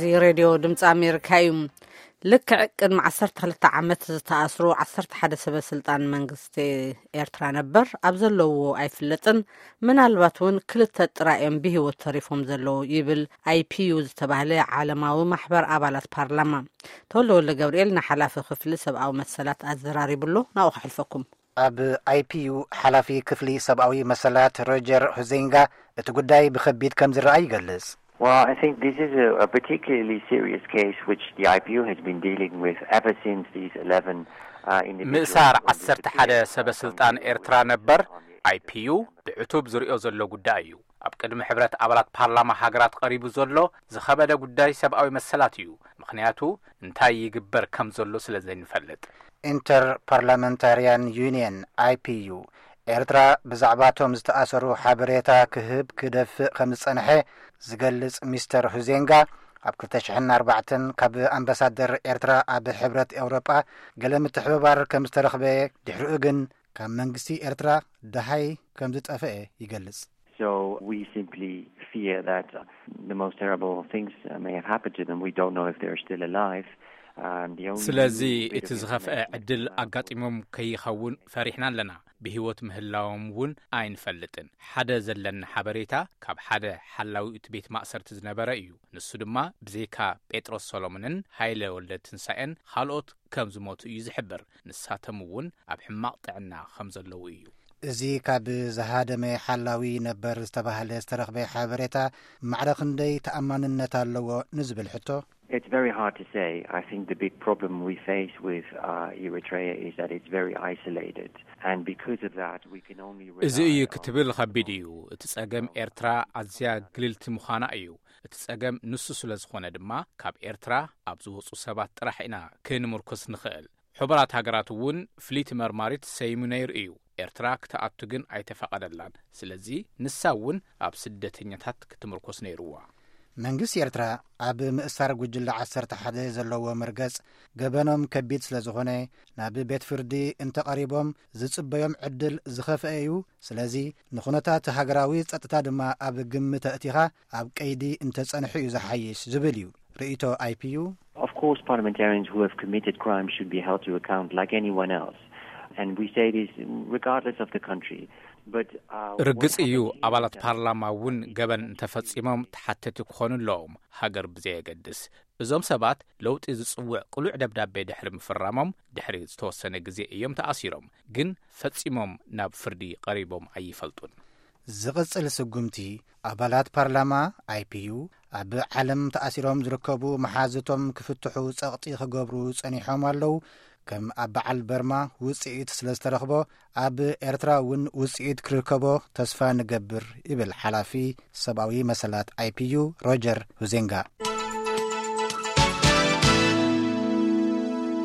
እዚ ሬድዮ ድምፂ ኣሜሪካ እዩ። ልክዕ ቅድሚ ዓሰርተ ክልተ ዓመት ዝተኣስሩ ዓሰርተ ሓደ ሰበ ስልጣን መንግስቲ ኤርትራ ነበር ኣብ ዘለውዎ ኣይፍለጥን፣ ምናልባት እውን ክልተ ጥራይ እዮም ብህይወት ተሪፎም ዘለዉ ይብል ኣይፒዩ ዝተባህለ ዓለማዊ ማሕበር ኣባላት ፓርላማ። ተወልደ ወልደ ገብርኤል ንሓላፊ ክፍሊ ሰብኣዊ መሰላት ኣዘራሪብሎ፣ ናብኡ ከሕልፈኩም። ኣብ ኣይፒዩ ሓላፊ ክፍሊ ሰብኣዊ መሰላት ሮጀር ሁዜንጋ እቲ ጉዳይ ብኸቢድ ከም ዝረኣ ይገልጽ። Well, I think this is a, a particularly serious case which the I P U has been dealing with ever since these eleven uh, individuals ምእሳር were ዓሰርተ ሓደ disappeared, ሰበ uh, from ስልጣን the ኤርትራ ነበር on the eighth of ኣይፒዩ December. ብዕቱብ ዝሪኦ ዘሎ ጉዳይ እዩ። ኣብ ቅድሚ ሕብረት ኣባላት ፓርላማ ሃገራት ቀሪቡ ዘሎ ዝኸበደ ጉዳይ ሰብኣዊ መሰላት እዩ። ምኽንያቱ እንታይ ይግበር ከም ዘሎ ስለ ዘይንፈልጥ። ኢንተር ፓርላመንታርያን ዩኒየን፣ ኣይፒዩ፣ ኤርትራ ብዛዕባቶም ዝተኣሰሩ ሓበሬታ ክህብ ክደፍእ ከም ዝጸንሐ ዝገልጽ ሚስተር ሁዜንጋ፣ ኣብ ክልተ ሽሕን ኣርባዕተን ካብ ኣምባሳደር ኤርትራ ኣብ ሕብረት ኤውሮጳ ገለ ምትሕብባር ከም ዝተረኽበ፣ ድሕሪኡ ግን ካብ መንግስቲ ኤርትራ ደሃይ ከም ዝጠፍአ ይገልጽ። So we simply fear that the most terrible things uh, may have happened to them. We don't know if they're still alive. Um, the only ስለዚ new bit እቲ of ዝኸፍአ information ዕድል now ኣጋጢሞም ከይኸውን ፈሪሕና ኣለና። ብህይወት ምህላዎም እውን ኣይንፈልጥን። ሓደ ዘለና ሓበሬታ ካብ ሓደ ሓላዊ እቲ ቤት ማእሰርቲ ዝነበረ እዩ። ንሱ ድማ ብዘይካ ጴጥሮስ ሰሎሞንን ሃይለ ወልደ ትንሳኤን ካልኦት ከም ዝሞቱ እዩ ዝሕብር። ንሳቶም እውን ኣብ ሕማቕ ጥዕና ከም ዘለዉ እዩ። እዚ ካብ ዝሃደመ ሓላዊ ነበር ዝተባህለ ዝተረኽበ ሓበሬታ ማዕረ ክንደይ ተኣማንነት ኣለዎ ንዝብል ሕቶ፣ It's very hard to say. I think the big problem we face with uh, Eritrea is that it's very isolated. And because of that, we can only rely እዚ እዩ on ክትብል ከቢድ እዩ። እቲ ጸገም ኤርትራ ኣዝያ ግልልቲ ምዃና እዩ። እቲ ጸገም ንሱ ስለ ዝኾነ ድማ ካብ ኤርትራ ኣብ ዝወጹ ሰባት ጥራሕ ኢና ክንምርኩስ ንኽእል። ሕቡራት ሃገራት እውን ፍልይቲ መርማሪት ሰይሙ ነይሩ እዩ። ኤርትራ ክትኣቱ ግን ኣይተፈቐደላን። ስለዚ ንሳ እውን ኣብ ስደተኛታት ክትምርኮስ ነይርዋ። መንግስቲ ኤርትራ ኣብ ምእሳር ጉጅለ ዓሰርተ ሓደ ዘለዎ መርገጽ ገበኖም ከቢድ ስለ ዝኾነ ናብ ቤት ፍርዲ እንተቐሪቦም ዝጽበዮም ዕድል ዝኸፍአ እዩ። ስለዚ ንኹነታት ሃገራዊ ጸጥታ ድማ ኣብ ግምት ኣእቲኻ ኣብ ቀይዲ እንተጸንሑ እዩ ዝሓይሽ ዝብል እዩ ርእይቶ ኣይፒዩ። Of course, parliamentarians who have committed crimes should be held to account like anyone else. And we say this regardless of the country. But uh, ርግጽ እዩ፣ ኣባላት ፓርላማ እውን ገበን እንተፈጺሞም ተሓተቲ ክኾኑ ኣለዎም፣ ሃገር ብዘየገድስ። እዞም ሰባት ለውጢ ዝጽውዕ ቅሉዕ ደብዳቤ ድሕሪ ምፍራሞም ድሕሪ ዝተወሰነ ግዜ እዮም ተኣሲሮም፣ ግን ፈጺሞም ናብ ፍርዲ ቀሪቦም ኣይፈልጡን። ዝቕጽል ስጉምቲ ኣባላት ፓርላማ ኣይፒዩ ኣብ ዓለም ተኣሲሮም ዝርከቡ መሓዝቶም ክፍትሑ ጸቕጢ ክገብሩ ጸኒሖም ኣለዉ። ከም ኣብ በዓል በርማ ውጽኢት ስለ ዝተረኽቦ ኣብ ኤርትራ እውን ውጽኢት ክርከቦ ተስፋ ንገብር ይብል ሓላፊ ሰብኣዊ መሰላት ኣይፒዩ ሮጀር ሁዜንጋ።